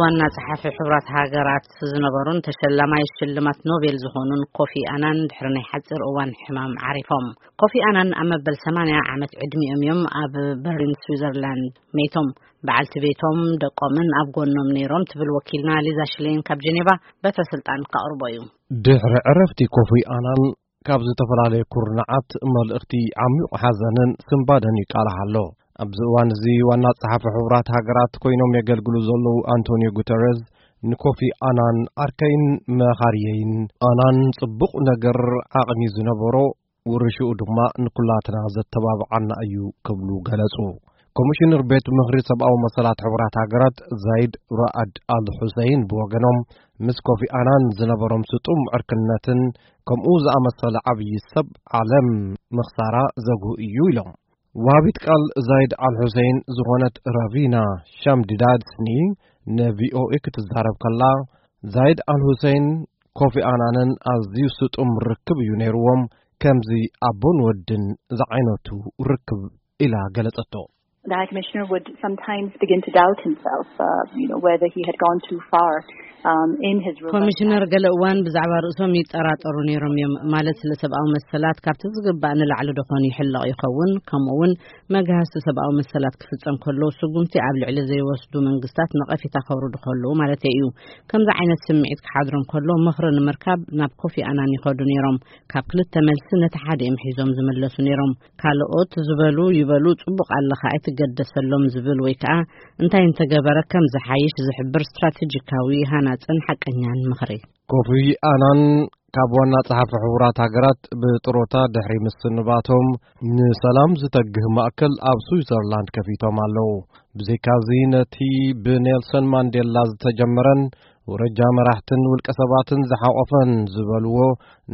ዋና ጸሓፊ ሕቡራት ሃገራት ዝነበሩን ተሸላማይ ሽልማት ኖቤል ዝኾኑን ኮፊ ኣናን ድሕሪ ናይ ሓጺር እዋን ሕማም ዓሪፎም። ኮፊ ኣናን ኣብ መበል ሰማንያ ዓመት ዕድሚኦም እዮም ኣብ በርሊን ስዊዘርላንድ መይቶም። በዓልቲ ቤቶም ደቆምን ኣብ ጎኖም ነይሮም ትብል ወኪልና ሊዛ ሽሌን ካብ ጀኔቫ በትረ ስልጣን ከቕርቦ እዩ። ድሕሪ ዕረፍቲ ኮፊ ኣናን ካብ ዝተፈላለየ ኩርናዓት መልእኽቲ ዓሚቕ ሓዘንን ስንባደን ይቃላሕ ኣሎ። ኣብዚ እዋን እዚ ዋና ጸሓፊ ሕቡራት ሃገራት ኮይኖም የገልግሉ ዘለዉ ኣንቶኒዮ ጉተረዝ ንኮፊ ኣናን ዓርከይን መኻርየይን፣ ኣናን ጽቡቕ ነገር ዓቕሚ ዝነበሮ ውርሽኡ ድማ ንኩላትና ዘተባብዓና እዩ ክብሉ ገለጹ። ኮሚሽነር ቤት ምኽሪ ሰብኣዊ መሰላት ሕቡራት ሃገራት ዛይድ ራኣድ ኣል ሑሰይን ብወገኖም ምስ ኮፊ ኣናን ዝነበሮም ስጡም ዕርክነትን ከምኡ ዝኣመሰለ ዓብዪ ሰብ ዓለም ምኽሳራ ዘጉህ እዩ ኢሎም። ዋቢት ቃል ዛይድ ኣል ሑሰይን ዝኾነት ራቪና ሻምዲዳድስኒ ንቪኦኤ ክትዛረብ ከላ፣ ዛይድ ኣል ሑሰይን ኮፊ ኣናንን ኣዝዩ ስጡም ርክብ እዩ ነይርዎም፣ ከምዚ ኣቦን ወድን ዝዓይነቱ ርክብ ኢላ ገለጸቶ። The High Commissioner would sometimes begin to doubt himself, uh, you know, whether he had gone too far, um, in his robust ኮሚሽነር ገለ እዋን ብዛዕባ ርእሶም ይጠራጠሩ ነይሮም እዮም። ማለት፣ ስለ ሰብኣዊ መሰላት ካብቲ ዝግባእ ንላዕሊ ዶ ኾን ይሕለቕ ይኸውን? ከምኡ እውን መግሃስቲ ሰብኣዊ መሰላት ክፍጸም ከሎ ስጉምቲ ኣብ ልዕሊ ዘይወስዱ መንግስታት ነቐፌታ ከውርዱ ከለዉ ማለት እዩ። ከምዚ ዓይነት ስምዒት ክሓድሮም ከሎ ምኽሪ ንምርካብ ናብ ኮፊ ኣናን ይኸዱ ነይሮም። ካብ ክልተ መልሲ ነቲ ሓደ እዮም ሒዞም ዝምለሱ ነይሮም። ካልኦት ዝበሉ ይበሉ፣ ጽቡቕ ኣለኻ ኣይትገደሰሎም ዝብል ወይ ከኣ እንታይ እንተገበረ ከም ዝሓይሽ ዝሕብር ስትራቴጂካዊ፣ ሃናጽን ሓቀኛን ምኽሪ። ኮፊ ኣናን ካብ ዋና ጸሓፊ ሕቡራት ሃገራት ብጥሮታ ድሕሪ ምስንባቶም ንሰላም ዝተግህ ማእከል ኣብ ስዊዘርላንድ ከፊቶም ኣለዉ። ብዘይካዚ ነቲ ብኔልሰን ማንዴላ ዝተጀመረን ውረጃ መራሕትን ውልቀ ሰባትን ዝሓቖፈን ዝበልዎ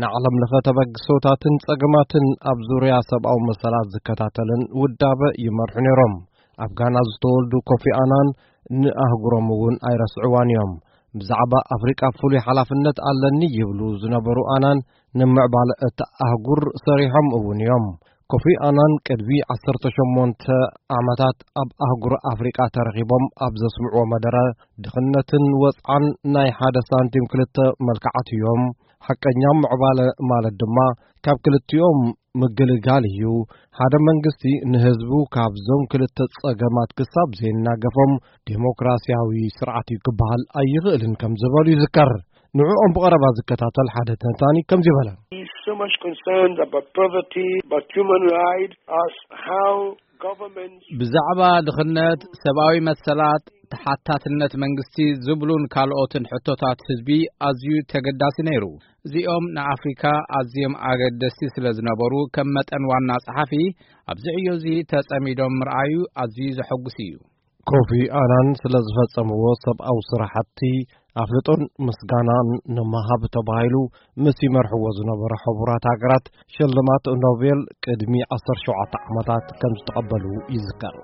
ንዓለም ለኸ ተበግሶታትን ጸገማትን ኣብ ዙርያ ሰብኣዊ መሰላት ዝከታተልን ውዳበ ይመርሑ ነይሮም። ኣብ ጋና ዝተወልዱ ኮፊ ኣናን ንኣህጉሮም እውን ኣይረስዕዋን እዮም። ብዛዕባ ኣፍሪቃ ፍሉይ ሓላፍነት ኣለኒ ይብሉ ዝነበሩ ኣናን ንምዕባለ እታ ኣህጉር ሰሪሖም እውን እዮም። ኮፊ ኣናን ቅድሚ ዓሰርተ ሸሞንተ ዓመታት ኣብ ኣህጉር ኣፍሪቃ ተረኺቦም ኣብ ዘስምዕዎ መደረ፣ ድኽነትን ወጽዓን ናይ ሓደ ሳንቲም ክልተ መልክዓት እዮም። ሓቀኛ ምዕባለ ማለት ድማ ካብ ክልቲኦም ምግልጋል እዩ። ሓደ መንግስቲ ንህዝቡ ካብዞም ክልተ ጸገማት ክሳብ ዘይናገፎም ዴሞክራሲያዊ ስርዓት እዩ ክበሃል ኣይኽእልን ከም ዝበሉ ይዝከር። ንዕኦም ብቐረባ ዝከታተል ሓደ ተንታኒ ከምዚ በለ። He's so much concerned about poverty, about human rights, as how governments ብዛዕባ ድኽነት፣ ሰብኣዊ መሰላት፣ ተሓታትነት መንግስቲ ዝብሉን ካልኦትን ሕቶታት ህዝቢ ኣዝዩ ተገዳሲ ነይሩ። እዚኦም ንኣፍሪካ ኣዝዮም ኣገደስቲ ስለ ዝነበሩ፣ ከም መጠን ዋና ጸሓፊ ኣብዚ ዕዮ እዚ ተጸሚዶም ምርኣዩ ኣዝዩ ዘሐጉስ እዩ። ኮፊ ኣናን ስለ ዝፈጸምዎ ሰብኣዊ ስራሕቲ ኣፍልጦን ምስጋናን ንምሃብ ተባሂሉ ምስ ይመርሕዎ ዝነበረ ሕቡራት ሃገራት ሽልማት ኖቤል ቅድሚ ዓሰርተ ሸውዓተ ዓመታት ከም ዝተቐበሉ ይዝከር።